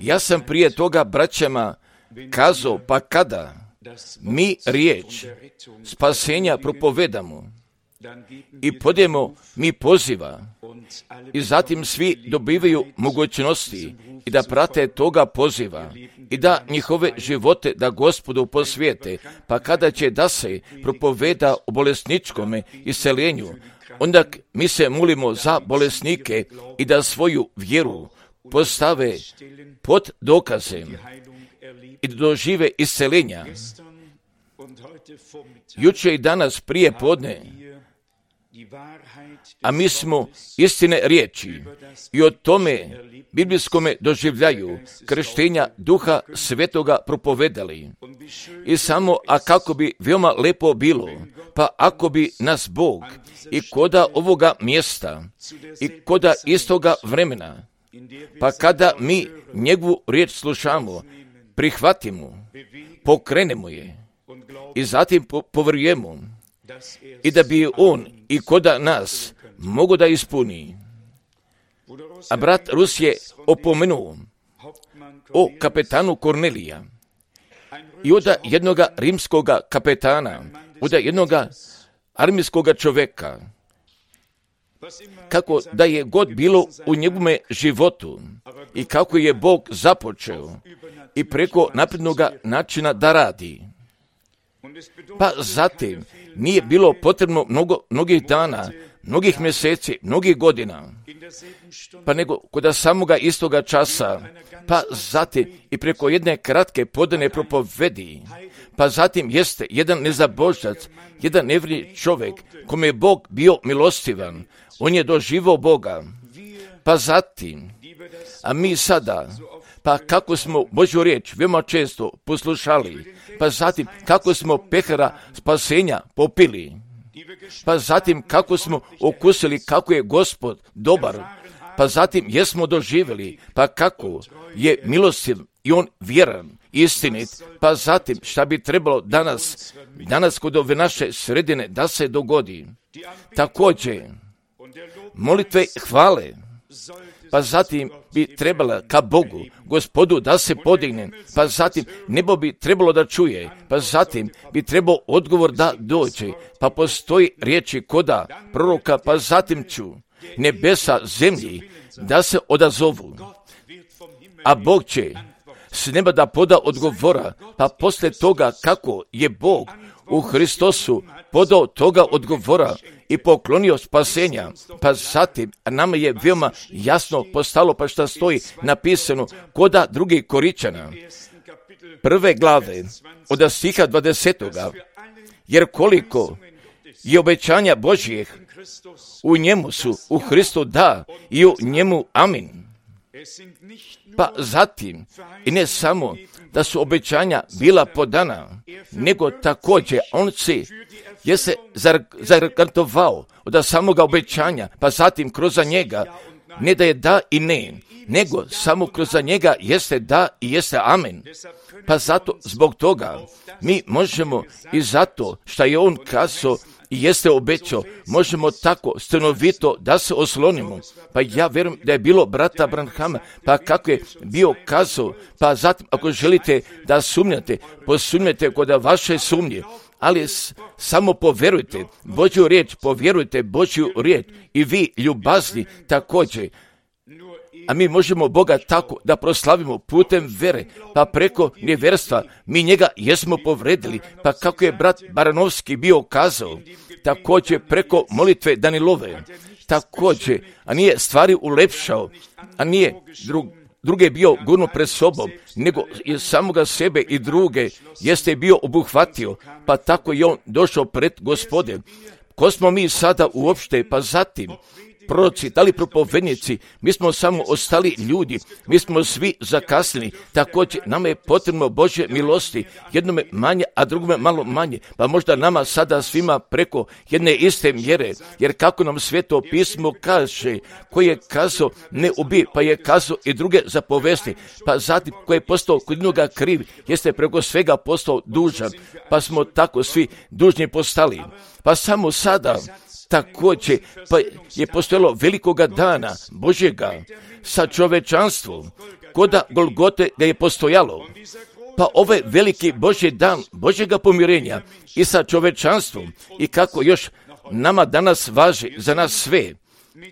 Ja sam prije toga braćama kazao, pa kada mi riječ spasenja propovedamo i podijemo mi poziva i zatim svi dobivaju mogućnosti i da prate toga poziva i da njihove živote da Gospodu posvijete, pa kada će da se propoveda o bolesničkome iseljenju, onda mi se molimo za bolesnike i da svoju vjeru postave pod dokazem i da dožive iseljenja. Jučer i danas prije podne, a mi smo istine riječi i o tome biblijskome doživljaju krštenja Duha Svetoga propovedali. I samo, a kako bi veoma lepo bilo, pa ako bi nas Bog i koda ovoga mjesta i koda istoga vremena, pa kada mi njegovu riječ slušamo, prihvatimo, pokrenemo je i zatim povjerujemo i da bi on i koda nas mogo da ispuni. A brat Rus je opomenuo o kapetanu Kornelija i od jednoga rimskoga kapetana, od jednoga armijskoga čovjeka, kako da je god bilo u njegovome životu i kako je Bog započeo i preko naprednoga načina da radi. Pa zatim nije bilo potrebno mnogih dana, mnogih mjeseci, mnogih godina, pa nego kod samoga istoga časa, pa zatim i preko jedne kratke podane propovedi, pa zatim jeste jedan nezabožac, jedan nevjerni čovjek kome je Bog bio milostivan, on je doživao Boga, pa zatim, a mi sada, pa kako smo Božju riječ veoma često poslušali, pa zatim kako smo pehara spasenja popili, pa zatim kako smo okusili kako je Gospod dobar, pa zatim jesmo doživjeli, pa kako je milostiv i on vjeran, istinit, pa zatim šta bi trebalo danas kod ove naše sredine da se dogodi. Također, molitve hvale, pa zatim bi trebala ka Bogu, Gospodu da se podigne, pa zatim nebo bi trebalo da čuje, pa zatim bi trebao odgovor da dođe, pa postoji riječi koda proroka, pa zatim ću nebesa zemlji da se odazovu, a Bog će s neba da poda odgovora, pa poslije toga kako je Bog u Hristosu podao toga odgovora i poklonio spasenja, pa zatim nama je veoma jasno postalo, pa šta stoji napisano koda drugih Koričana, 1. glave, od stiha 20. Jer koliko je obećanja Božjih, u njemu su, u Hristu da, i u njemu amin. Pa zatim, i ne samo da su obećanja bila podana, nego također on je se zagarantovao od samoga obećanja, pa zatim kroz njega, ne da je da i ne, nego samo kroz njega jeste da i jeste amen. Pa zato, zbog toga, mi možemo i zato što je on kazao i jeste obećao, možemo tako stanovito da se oslonimo. Pa ja vjerujem da je bilo brata Branhama, pa kako je bio kazao, pa zatim ako želite da sumnjate, posumnjate kod vaše sumnje, ali samo povjerujte Božju riječ, povjerujte Božju riječ i vi ljubazni također. A mi možemo Boga tako da proslavimo putem vere, pa preko nevjerstva mi njega jesmo povredili, pa kako je brat Baranovski bio kazao, također preko molitve Danilove, također, a nije stvari ulepšao, a nije druge bio gurno pred sobom, nego je samoga sebe i druge jeste bio obuhvatio, pa tako je on došao pred Gospode. Ko smo mi sada uopšte, pa zatim proroci, da li propovednici, mi smo samo ostali ljudi, mi smo svi zakasnili, također nama je potrebno Božje milosti, jednome manje, a drugome malo manje, pa možda nama sada svima preko jedne iste mjere, jer kako nam Sveto pismo kaže, koji je kazao ne ubij, pa je kazao i druge zapovesti, pa zatim koji je postao kod jednoga kriv, jeste preko svega postao dužan, pa smo tako svi dužni postali. Pa samo sada također pa je postojalo velikoga dana Božjega sa čovečanstvom, koda Golgote ga je postojalo. Pa ovaj veliki Božji dan Božjega pomirenja i sa čovečanstvom i kako još nama danas važi za nas sve.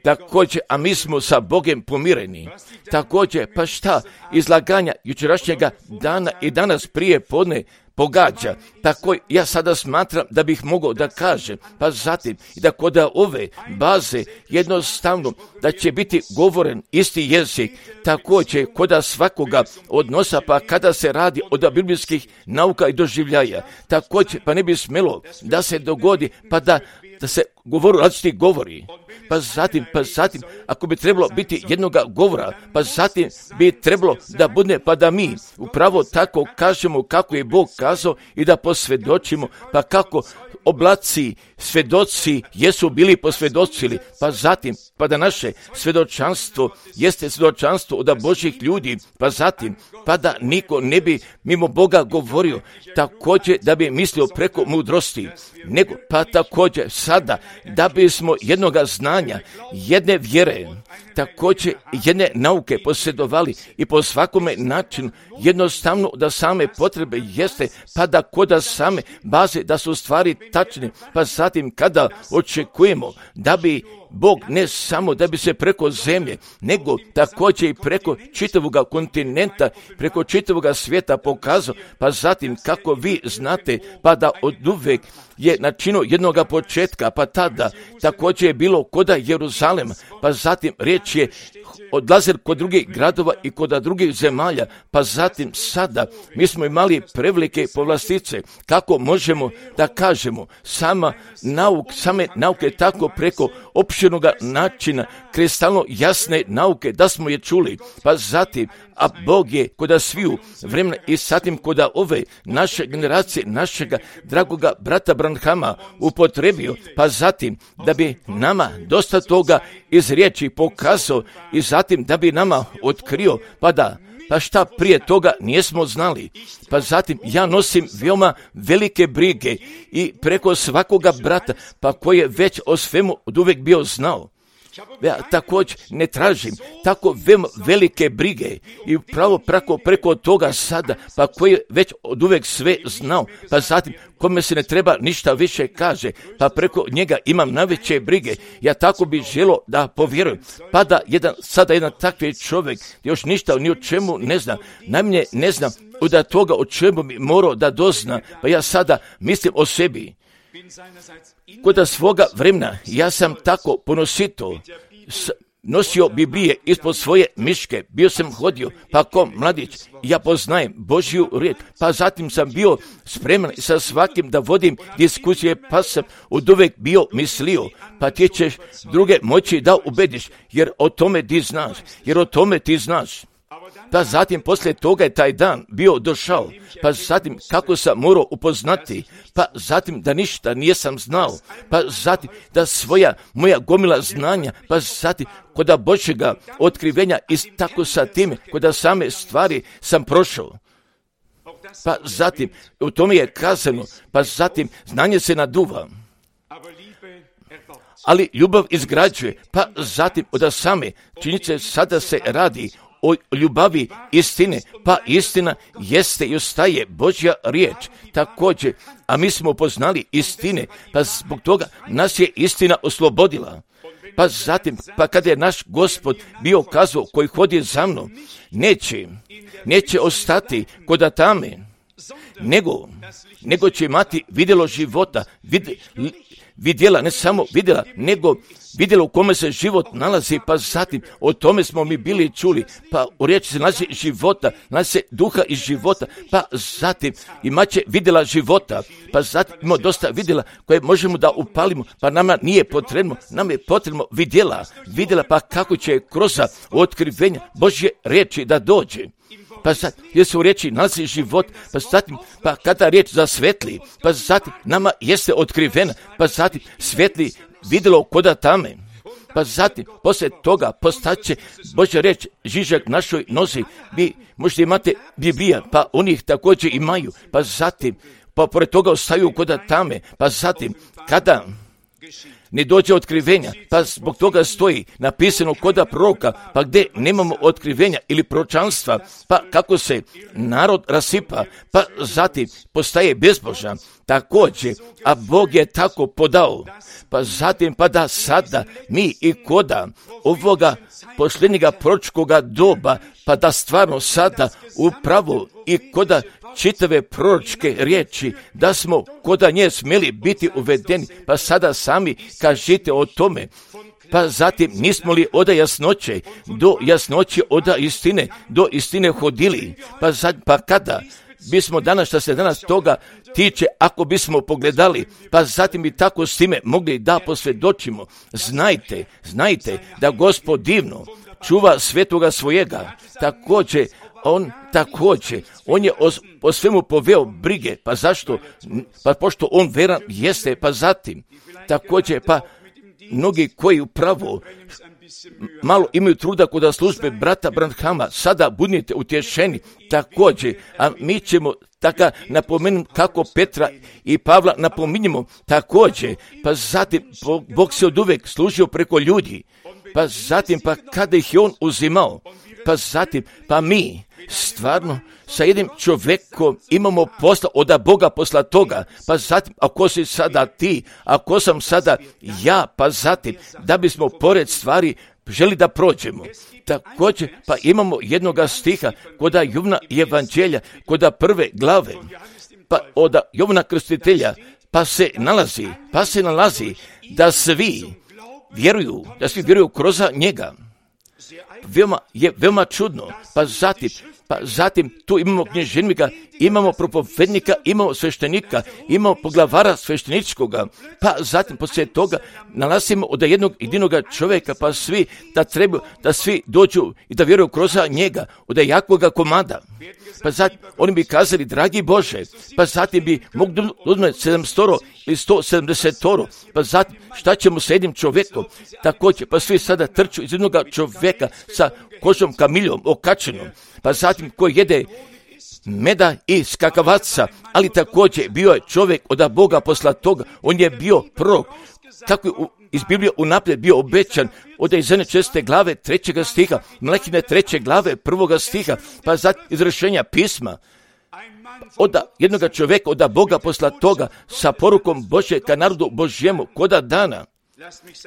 Također, a mi smo sa Bogom pomireni. Također, pa šta izlaganja jučerašnjega dana i danas prije podne pogađa. Tako ja sada smatram da bih mogao da kažem, pa zatim i da kod ove baze jednostavno da će biti govoren isti jezik, također kod svakoga odnosa, pa kada se radi od biblijskih nauka i doživljaja, također pa ne bi smjelo da se dogodi pa da se različiti govori. Pa zatim, ako bi trebalo biti jednoga govora, pa zatim bi trebalo da bude, pa da mi upravo tako kažemo kako je Bog kazao i da posvjedočimo, pa kako oblaci, svjedoci jesu bili posvjedočili, pa zatim, pa da naše svjedočanstvo jeste svjedočanstvo od Božjih ljudi, pa zatim, pa da niko ne bi mimo Boga govorio, također da bi mislio preko mudrosti, nego pa također sada da bismo jednoga znanja, jedne vjere, također jedne nauke posjedovali i po svakome načinu jednostavno da same potrebe jeste, pa da koda same baze da su stvari tačne, pa zatim kada očekujemo da bi Bog ne samo da bi se preko zemlje, nego također i preko čitavoga kontinenta, preko čitavoga svijeta pokazao, pa zatim kako vi znate, pa da od uvek je načinio jednoga početka, pa tada također je bilo koda Jeruzalema, pa zatim riječ je odlazili kod drugih gradova i kod drugih zemalja, pa zatim sada mi smo imali prevelike povlastice, kako možemo da kažemo, same nauke tako preko opširnog načina, kristalno jasne nauke, da smo je čuli, pa zatim, a Bog je kod sviju vremena i zatim kod ove naše generacije, našega dragoga brata Branhama upotrebio, pa zatim da bi nama dosta toga iz riječi pokazao i zatim da bi nama otkrio, pa šta prije toga nismo znali. Pa zatim ja nosim veoma velike brige i preko svakoga brata, pa koji je već o svemu od uvijek bio znao. Ja također ne tražim tako velike brige i upravo preko toga sada, pa koji je već od uvijek sve znao, pa zatim kome se ne treba ništa više kaže, pa preko njega imam najveće brige. Ja tako bih želio da povjerujem, pa da sada jedan takvi čovjek još ništa ni o čemu ne zna, najmanje ne znam od toga o čemu bi morao da dozna, pa ja sada mislim o sebi. Kod svoga vremena ja sam tako ponosito nosio Biblije ispod svoje miške, bio sam hodio, pa ko mladić, ja poznajem Božju riječ, pa zatim sam bio spreman sa svakim da vodim diskusije, pa sam od uvek bio mislio, pa ti ćeš druge moći da ubediš, jer o tome ti znaš. Pa zatim poslije toga je taj dan bio došao, pa zatim kako sam morao upoznati, pa zatim da ništa nisam znao, pa zatim da moja gomila znanja, pa zatim kod Božjega otkrivenja i tako sa time, kod same stvari sam prošao. Pa zatim u tome je kazano, pa zatim znanje se naduva, ali ljubav izgrađuje, pa zatim od same činjenice sada se radi o ljubavi istine, pa istina jeste i ostaje Božja riječ također, a mi smo poznali istine, pa zbog toga nas je istina oslobodila. Pa zatim, pa kada je naš Gospod bio kazao koji hodi za mnom, neće ostati kod tame, nego će imati vidjelo života, vidjela, ne samo vidjela, nego vidjela u kome se život nalazi, pa zatim o tome smo mi bili čuli, pa u riječi se nalazi života, nalazi se duha iz života, pa zatim imaće vidjela života, pa zatim imamo dosta vidjela koje možemo da upalimo, pa nama nije potrebno, nam je potrebno vidjela, pa kako će kroz otkrivenja Božje riječi da dođe. Pa sad, jer se u riječi nalazi život, pa zatim, pa kada riječ zasvetli, pa zatim nama jeste otkrivena, pa zatim svetli vidjelo koda tame, pa zatim poslije toga postaće Božja riječ žižak našoj nozi. Vi možete imate Biblija, pa oni ih također imaju, pa zatim, pa pored toga ostaju koda tame, pa zatim kada ne dođe otkrivenja, pa zbog toga stoji napisano koda proroka, pa gdje nemamo otkrivenja ili proročanstva, pa kako se narod rasipa, pa zatim postaje bezbožan, također, a Bog je tako podao, pa zatim pa da sada mi i koda ovoga posljednjega proročkoga doba, pa da stvarno sada upravo i koda čitave proročke riječi, da smo koda nje smjeli biti uvedeni, pa sada sami kažite o tome. Pa zatim nismo li oda jasnoće, do jasnoće oda istine, do istine hodili, pa kada bismo danas, što se danas toga tiče, ako bismo pogledali, pa zatim bi tako s time mogli da posvjedočimo. Znajte da Gospod divno čuva svetoga svojega, on je o svemu poveo brige, pa zašto? Pa pošto on veran jeste, pa zatim, također, pa mnogi koji upravo malo imaju truda kod službe brata Branhama, sada budite utješeni također, a mi ćemo tako napomenuti kako Petra i Pavla napominjemo također, pa zatim Bog se od uvek služio preko ljudi, pa zatim pa kada ih je on uzimao, pa zatim pa mi stvarno sa jednim čovjekom imamo posla od Boga posla toga, pa zatim ako si sada ti, ako sam sada ja, pa zatim da bismo pored stvari želi da prođemo. Također pa imamo jednoga stiha koda Jovna evanđelja, koda 1. glave, pa od Jovna krstitelja, pa se nalazi da svi vjeruju kroz njega. Veoma čudno, pa zatim tu imamo knježevnika, imamo propovednika, imamo sveštenika, imamo poglavara svešteničkoga, pa zatim poslije toga nalazimo od jednog jedinoga čovjeka, pa svi da trebaju da svi dođu i da vjeruju kroz njega, od jakoga komada. Pa zatim oni bi kazali, dragi Bože, pa zatim bi mogli uzmeti 700 ili 170, pa zatim šta ćemo sa jednim čovjekom, također, pa svi sada trču iz jednog čovjeka sa kožom kamiljom okačenom, pa zatim koji jede meda i skakavaca, ali također bio je čovjek od Boga posla toga, on je bio prorok, kako je iz Biblije unaprijed bio obećan od Izajne 6. glave 3. stiha, Malahijine 3. glave 1. stiha, pa zatim izvršenja pisma, od jednog čovjeka, od Boga posla toga, sa porukom Božje ka narodu Božjemu, koda dana.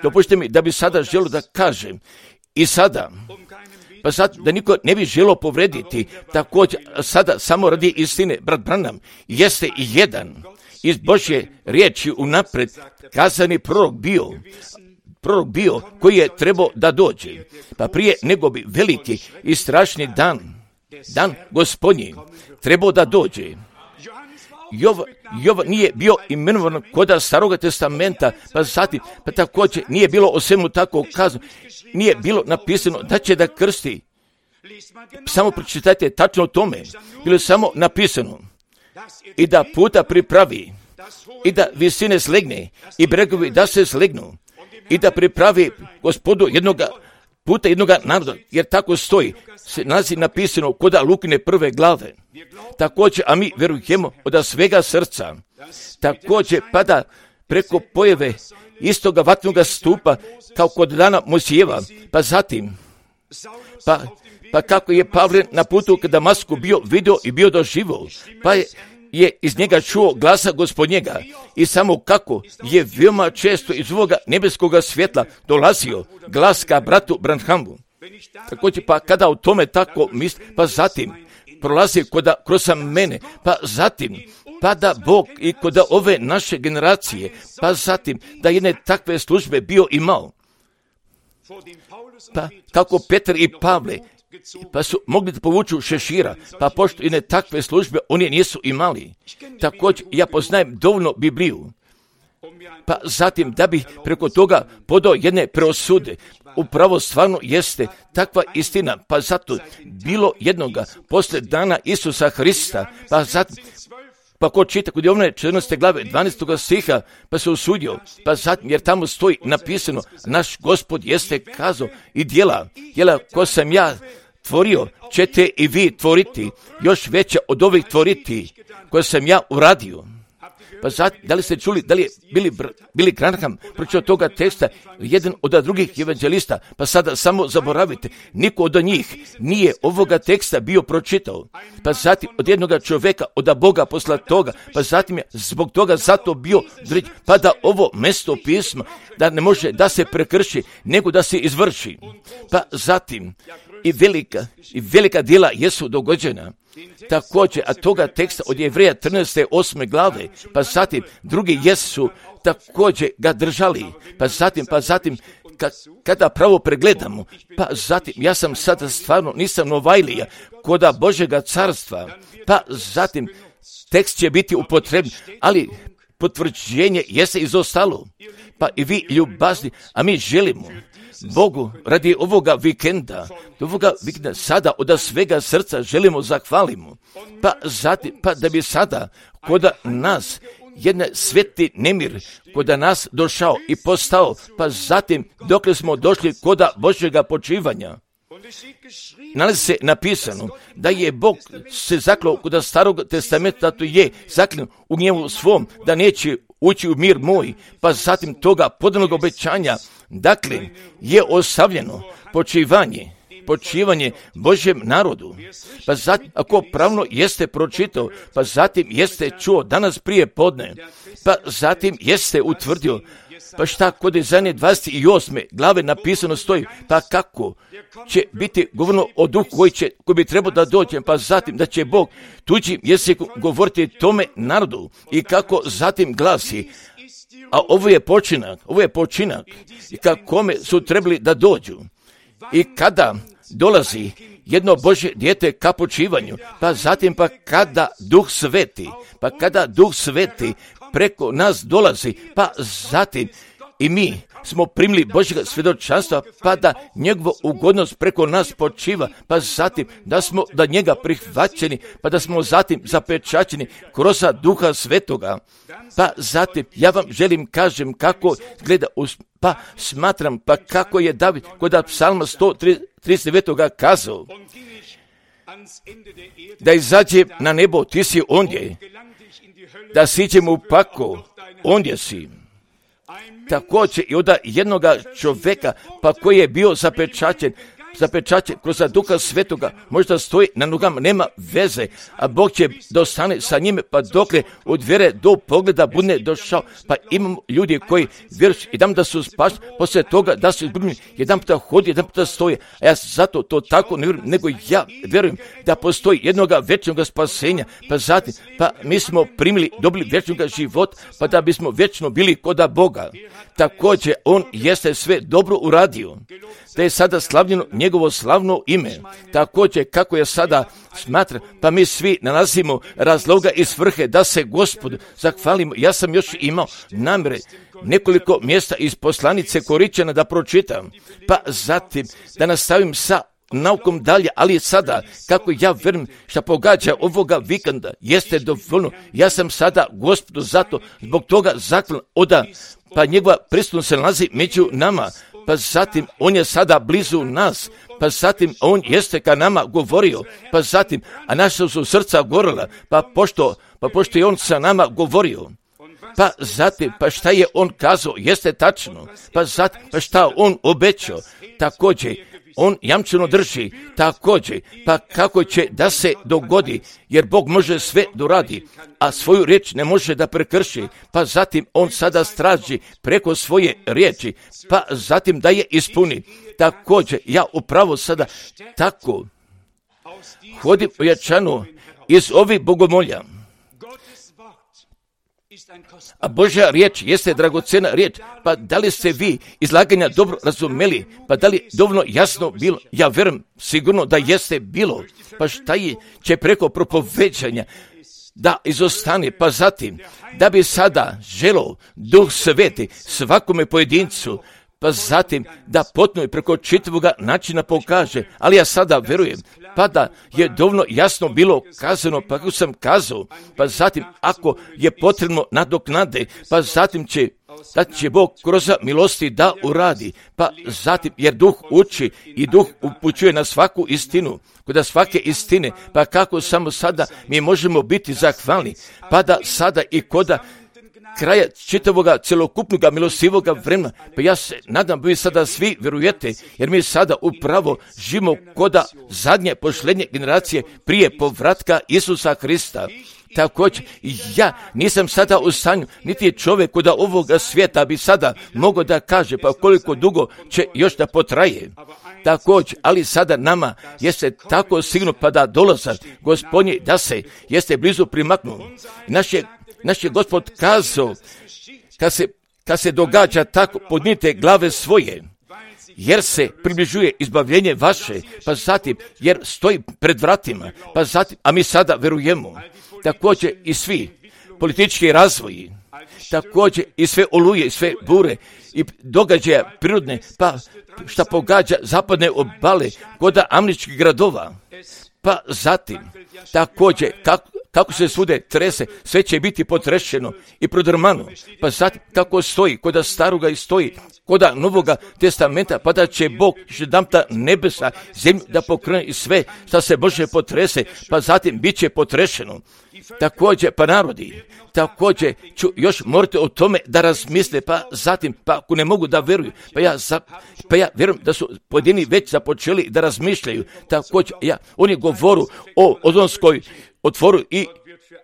Dopušte mi da bi sada želio da kažem, i sada, pa sad da niko ne bi želio povrediti, također sada samo radi istine, brat Branham jeste i jedan iz Božje riječi unapred kazani prorok bio koji je trebao da dođe, pa prije nego bi veliki i strašni dan Gospodnji trebao da dođe. Jovan nije bio imenovan kod Staroga testamenta, pa zatim, pa također nije bilo o svemu tako kazano, nije bilo napisano da će da krsti. Samo pročitajte tačno o tome, bilo je samo napisano i da puta pripravi, i da visine slegne, i bregovi da se slegnu, i da pripravi Gospodu jednoga puta jednoga naroda, jer tako stoji, se nalazi napisano kod Lukine 1. glave. Također, a mi vjerujemo od svega srca, također pada preko pojave istoga vatnoga stupa kao kod dana Mojsijeva, pa zatim, pa kako je Pavle na putu k Damasku bio vidio i bio doživio, pa je iz njega čuo glasa Gospodnjega i samo kako je veoma često iz ovoga nebeskoga svjetla dolazio glas ka bratu Branhamu. Također pa kada o tome tako misli, pa zatim prolazi kroz mene, pa zatim pada Bog i kod ove naše generacije, pa zatim da jedne takve službe bio imao. Pa kako Petar i Pavle, pa su mogli da povuču šešira, pa pošto jedne takve službe oni nisu imali. Također ja poznajem dovoljno Bibliju, pa zatim da bi preko toga podao jedne preosude. Upravo stvarno jeste takva istina, pa zato bilo jednoga posle dana Isusa Hrista, pa zatim, pa ko čita kod Jovne 14. glave 12. stiha, pa se usudio, pa zatim jer tamo stoji napisano, naš Gospod jeste kazao i djela ko sam ja tvorio, ćete i vi tvoriti, još veća od ovih tvoriti koje sam ja uradio. Pa da li ste čuli, da li je Billy Graham pročitao toga teksta, jedan od drugih evanđelista, pa sada samo zaboravite, niko od njih nije ovoga teksta bio pročitao, pa zatim od jednoga čovjeka, od Boga posla toga, pa zatim je zbog toga zato bio, pa da ovo mesto pisma, da ne može da se prekrši, nego da se izvrši. Pa zatim i velika djela jesu dogođena. Također, a toga teksta od Jevreja 13. 8. glave, pa zatim drugi jesu također ga držali, pa zatim kada pravo pregledamo, pa zatim ja sam sada stvarno nisam Novajlija koda Božjega carstva, pa zatim tekst će biti upotrebljen, ali potvrđenje jeste izostalo, pa i vi ljubazni, a mi želimo Bogu radi ovoga vikenda sada od svega srca želimo zahvalimo, pa zatim, pa da bi sada koda nas jedan sveti nemir koda nas došao i postao, pa zatim dokle smo došli koda Božjega počivanja. Nalazi se napisano da je Bog se zaklao kod Starog testamenta, to je zaklao u njemu svom da neće ući u mir moj, pa zatim toga podanog obećanja, dakle je ostavljeno počivanje Božjem narodu. Pa zatim, ako pravno jeste pročitao, pa zatim jeste čuo danas prije podne, pa zatim jeste utvrdio, pa šta kod Izaije 28. glave napisano stoji, pa kako će biti govoreno o duhu koji bi trebao da dođe, pa zatim da će Bog tuđim jezikom govoriti tome narodu i kako zatim glasi, a ovo je počinak i kome su trebali da dođu. I kada dolazi jedno Božje dijete ka počivanju, pa zatim kada Duh Sveti preko nas dolazi, pa zatim i mi smo primili Božjega svjedočanstva, pa da njegovo ugodnost preko nas počiva, pa zatim da njega prihvaćeni, pa da smo zatim zapečaćeni kroz Duha Svetoga. Pa zatim ja vam želim kažem kako gleda, pa smatram, pa kako je David kod Psalma 139. kazao, da izađe na nebo, ti si ondje, da siđem u pakao, ondje si. Također i od jednoga čovjeka, pa koji je bio zapečaćen kroz Duha Svetoga, možda stoji na nogama, nema veze, a Bog će dostane sa njime, pa dokle od vjere do pogleda bude došao, pa imamo ljudi koji vjeruju jedan da su spašeni, poslije toga da su izgubljeni, jedan puta hodi, jedan puta stoje, a ja zato to tako ne vjerujem, nego ja vjerujem da postoji jednoga vječnog spasenja, pa zatim, pa mi smo dobili vječnog života, pa da bismo vječno bili koda Boga. Također, on jeste sve dobro uradio, da je sada slavljeno njegovo slavno ime. Također, kako je sada smatra, pa mi svi nalazimo razloga i svrhe da se Gospodu zahvalimo. Ja sam još imao namjere nekoliko mjesta iz poslanice Koričana da pročitam, pa zatim da nastavim sa naukom dalje, ali sada, kako ja vjerujem što pogađa ovoga vikenda, jeste dovoljno. Ja sam sada Gospodu zato, zbog toga zahvalan pa njegova prisutnost se nalazi među nama, pa zatim on je sada blizu nas, pa zatim on jeste ka nama govorio, pa zatim, a naša su srca gorila, pa pošto je on sa nama govorio, pa zatim, pa šta je on kazao, jeste tačno, pa zatim, pa šta on obećao, također, on jamčeno drži, također, pa kako će da se dogodi, jer Bog može sve doradi, a svoju riječ ne može da prekrši, pa zatim on sada straži preko svoje riječi, pa zatim da je ispuni. Također, ja upravo sada tako hodim ojačano iz ovih bogomolja. A Božja riječ jeste dragocena riječ, pa da li ste vi izlaganja dobro razumeli, pa da li dovoljno jasno bilo, ja vjerujem sigurno da jeste bilo, pa šta će preko propoveđanja da izostane, pa zatim da bi sada želeo Duh Sveti svakome pojedincu, pa zatim da potpuno i preko čitavoga načina pokaže, ali ja sada vjerujem, pa da je dovoljno jasno bilo kazano, pa kako sam kazao, pa zatim ako je potrebno nadoknade, pa zatim će Bog kroz milosti da uradi, pa zatim jer Duh uči i Duh upućuje na svaku istinu, kod svake istine, pa kako samo sada mi možemo biti zahvalni, pa da sada i koda kraja čitavoga celokupnog milostivoga vremena. Pa ja se nadam, vi sada svi vjerujete, jer mi sada upravo živimo koda zadnje pošlednje generacije prije povratka Isusa Hrista. Također, ja nisam sada u stanju, niti je čovjek od ovoga svijeta bi sada mogao da kaže pa koliko dugo će još da potraje. Također, ali sada nama jeste tako sigurno pa da dolazak Gospodnji da se jeste blizu primaknuo. Naš je Gospod kazao, kad se događa tako, podnite glave svoje, jer se približuje izbavljenje vaše, pa zatim, jer stoji pred vratima, pa zatim, a mi sada verujemo. Također i svi politički razvoji, također i sve oluje, i sve bure, i događaja prirodne, pa šta pogađa zapadne obale, kod američkih gradova, pa zatim, također, kako se svude trese, sve će biti potrešeno i prodrmano, pa zatim, kako stoji, kod staroga i stoji, kod Novoga testamenta, pa da će Bog jedanputa nebesa, zemlju da pokrene i sve šta se Bože potrese, pa zatim bit će potrešeno. Također, pa narodi, također ću još morate o tome da razmisle, pa zatim, pa ako ne mogu da veruju, pa ja vjerujem da su pojedini već započeli da razmišljaju. Također, oni govoru o ozonskoj otvoru i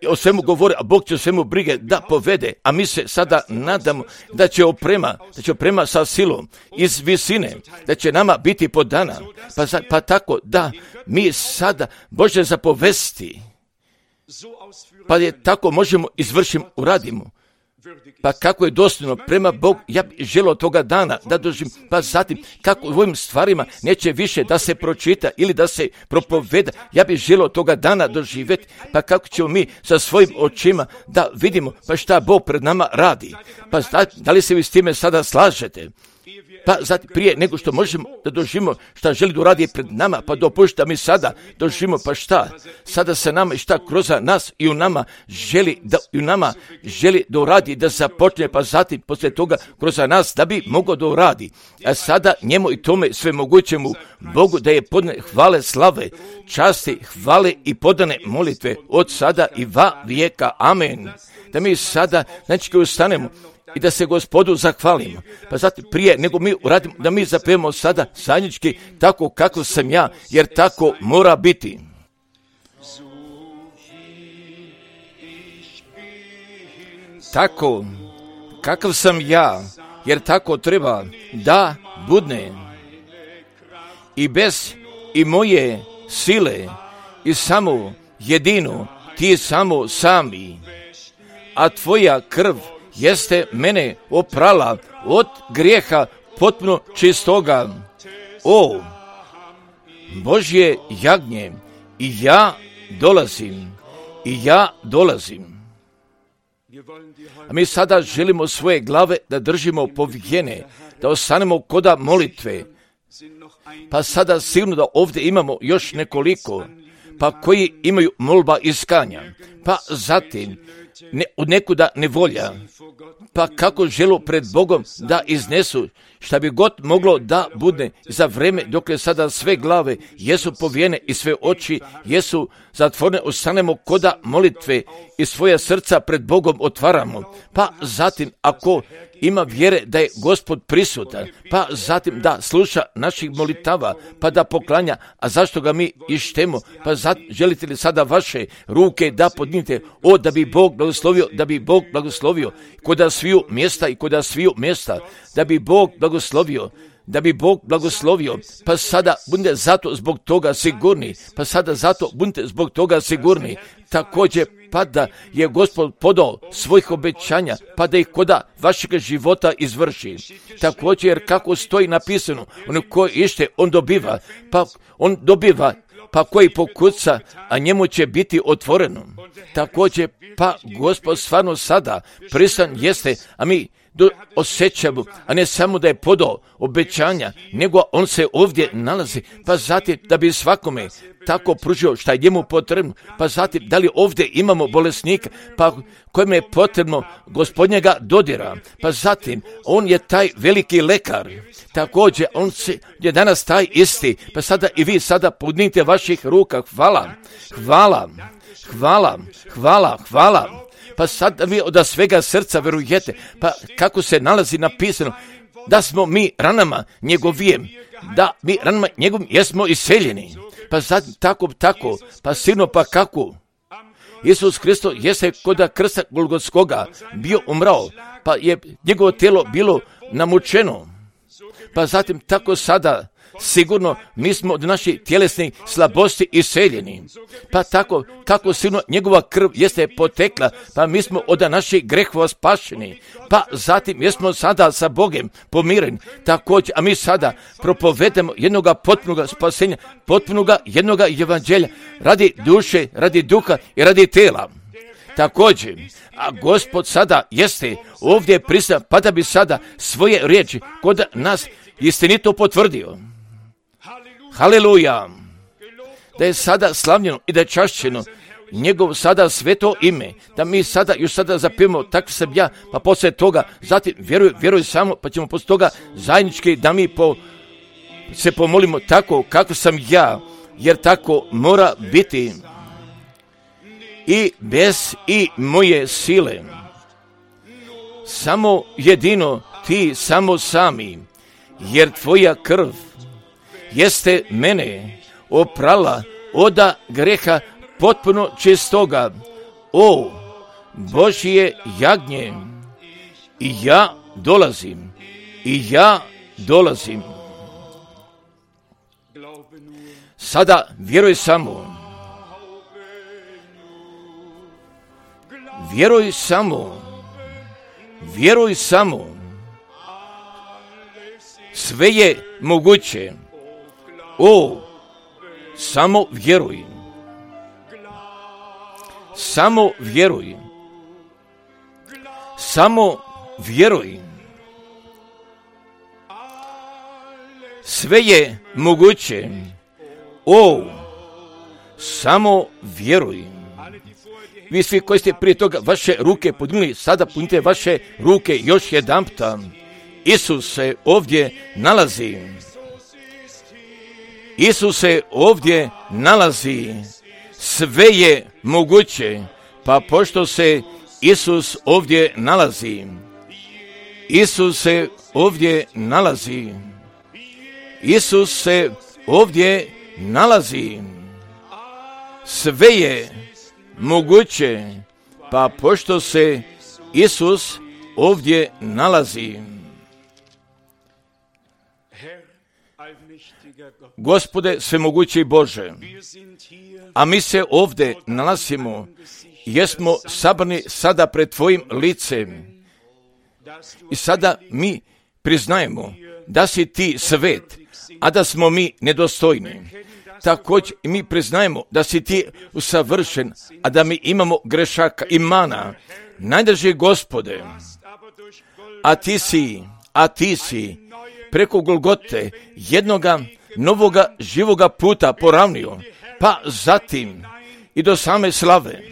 o svemu govore, a Bog će o svemu brige da povede, a mi se sada nadamo da će oprema sa silom iz visine, da će nama biti podana, pa tako da mi sada Bože zapovesti, pa je tako možemo izvršiti, uradimo. Pa kako je dostojno prema Bogu, ja bih želio toga dana da doživim, pa zatim kako u ovim stvarima neće više da se pročita ili da se propoveda, ja bih želio toga dana doživjeti, pa kako ćemo mi sa svojim očima da vidimo pa šta Bog pred nama radi. Pa da li se vi s time sada slažete? Pa zatim prije nego što možemo da doživimo šta želi da uradi pred nama, pa dopušta mi sada doživimo pa šta sada se nama i šta kroz nas i u nama želi da uradi, da započne, pa zatim poslije toga kroz nas da bi mogao da uradi. A sada njemu i tome svemogućemu Bogu da je podane hvale, slave, časti, hvale i podane molitve od sada i va vijeka. Amen. Da mi sada znači ustanemo i da se Gospodu zahvalimo. Pa zato prije nego mi uradimo, da mi zapevamo sada zajednički tako kako sam ja, jer tako mora biti. Tako kakav sam ja, jer tako treba da budne. I bez i moje sile i samo jedino ti samo sami, a tvoja krv jeste mene oprala od grijeha potpuno čistoga. O Božje jagnje, i ja dolazim. A mi sada želimo svoje glave da držimo povijene, da ostanemo koda molitve. Pa sada sigurno da ovdje imamo još nekoliko, pa koji imaju molba iskanja, pa zatim od nekuda nevolja, pa kako želu pred Bogom da iznesu šta bi god moglo da bude za vreme dok je sada sve glave jesu povijene i sve oči jesu zatvorene, ostanemo koda molitve i svoja srca pred Bogom otvaramo, pa zatim ako ima vjere da je Gospod prisutan, pa zatim da sluša naših molitava, pa da poklanja, a zašto ga mi ištemo, pa želite li sada vaše ruke da podnite, da bi Bog blagoslovio, koda sviju mjesta, da bi Bog blagoslovio, pa sada budite zato zbog toga sigurni, također pa da je Gospod podao svojih obećanja, pa da ih koda vašeg života izvrši. Također, jer kako stoji napisano, on koji ište, on dobiva, pa koji pokuca, a njemu će biti otvoreno. Također, pa Gospod stvarno sada pristan jeste, a mi osjećamo, a ne samo da je podao obećanja, nego on se ovdje nalazi, pa zatim da bi svakome tako pružio šta je njemu potrebno, pa zatim da li ovdje imamo bolesnika, pa kojem je potrebno Gospodnjega dodira, pa zatim on je taj veliki lekar, također on je danas taj isti, pa sada i vi sada podnite vaših ruka, hvala, pa sad vi od svega srca verujete, pa kako se nalazi napisano, da smo mi ranama njegovijem, da mi ranama njegovim jesmo iseljeni. Pa sad tako, pa sigurno pa kako? Isus Hristo jeste kod krsta Golgotskoga bio umrao, pa je njegovo tijelo bilo namučeno. Pa zatim tako sada sigurno mi smo od naših tjelesnih slabosti iseljeni. Pa tako sigurno njegova krv jeste potekla, pa mi smo od naših grehova spašeni. Pa zatim jesmo sada sa Bogom pomireni. Također, a mi sada propovedemo jednoga potpunoga spasenja, potpunoga jednoga evanđelja radi duše, radi duha i radi tela. Također, a Gospod sada jeste ovdje prisutan, pa da bi sada svoje riječi kod nas istinito potvrdio. Haleluja! Da je sada slavljeno i da je čašćeno njegov sada sveto ime, da mi sada još sada zapijemo, tako sam ja, pa poslije toga, zatim vjeruj samo, pa ćemo poslije toga zajednički da mi se pomolimo tako kako sam ja, jer tako mora biti i bez i moje sile. Samo jedino ti, samo sami, jer tvoja krv jeste mene oprala od greha potpuno čistoga. O Božje jagnje, i ja dolazim. Sada vjeruj samo. Vjeruj samo. Sve je moguće. O, samo vjeruj. Samo vjeruj. Sve je moguće. O, samo vjeruj. Vi svi koji ste prije toga vaše ruke podignuli, sada podignite vaše ruke još jedanputa. Isus se ovdje nalazi. Sve je moguće, pa pošto se Isus ovdje nalazi, sve je moguće, pa pošto se Isus ovdje nalazi. Gospode svemogući Bože, a mi se ovdje nalazimo, jesmo sabrani sada pred Tvojim licem i sada mi priznajemo da si Ti svet, a da smo mi nedostojni. Također mi priznajemo da si Ti usavršen, a da mi imamo grešaka i mana. Najdrži Gospode, a ti si preko Golgote jednoga novoga živoga puta poravnio, pa zatim i do same slave.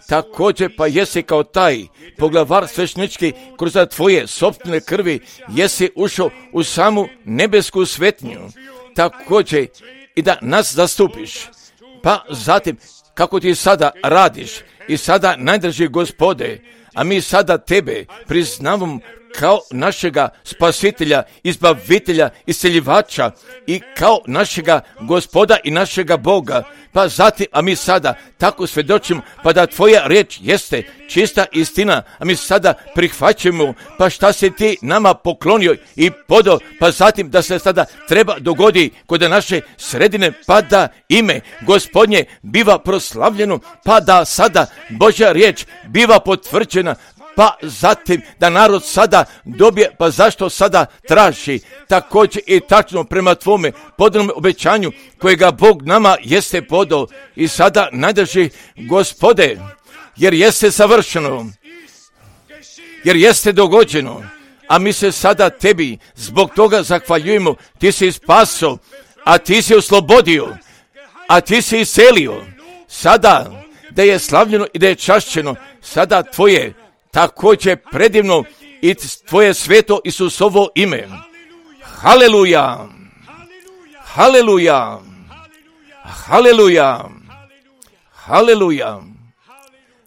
Također pa jesi kao taj poglavar sveštenički kroz Tvoje sopstvene krvi jesi ušao u samu nebesku svetnju. Također i da nas zastupiš. Pa zatim kako Ti sada radiš i sada najdrži Gospode, a mi sada Tebe priznavamo kao našega spasitelja, izbavitelja, isceljivača i kao našega Gospoda i našega Boga. Pa zatim, a mi sada tako svjedočimo, pa da Tvoja riječ jeste čista istina, a mi sada prihvaćamo, pa šta se Ti nama poklonio i podao, pa zatim da se sada treba dogodi kod naše sredine, pa da ime Gospodnje biva proslavljeno, pa da sada Božja riječ biva potvrđena, pa zatim da narod sada dobije, pa zašto sada traži, također i tačno prema Tvome podanom obećanju kojega Bog nama jeste podao i sada najdrži Gospode, jer jeste savršeno, jer jeste dogođeno, a mi se sada Tebi zbog toga zahvaljujemo. Ti si spasio, a Ti si oslobodio, a Ti si iselio. Sada da je slavljeno i da je čašćeno, sada Tvoje također predivno i Tvoje sveto Isusovo ime. Haleluja! Haleluja! Haleluja! Haleluja!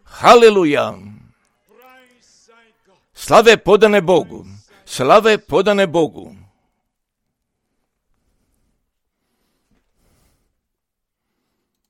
Haleluja! Slave podane Bogu. Slave podane Bogu.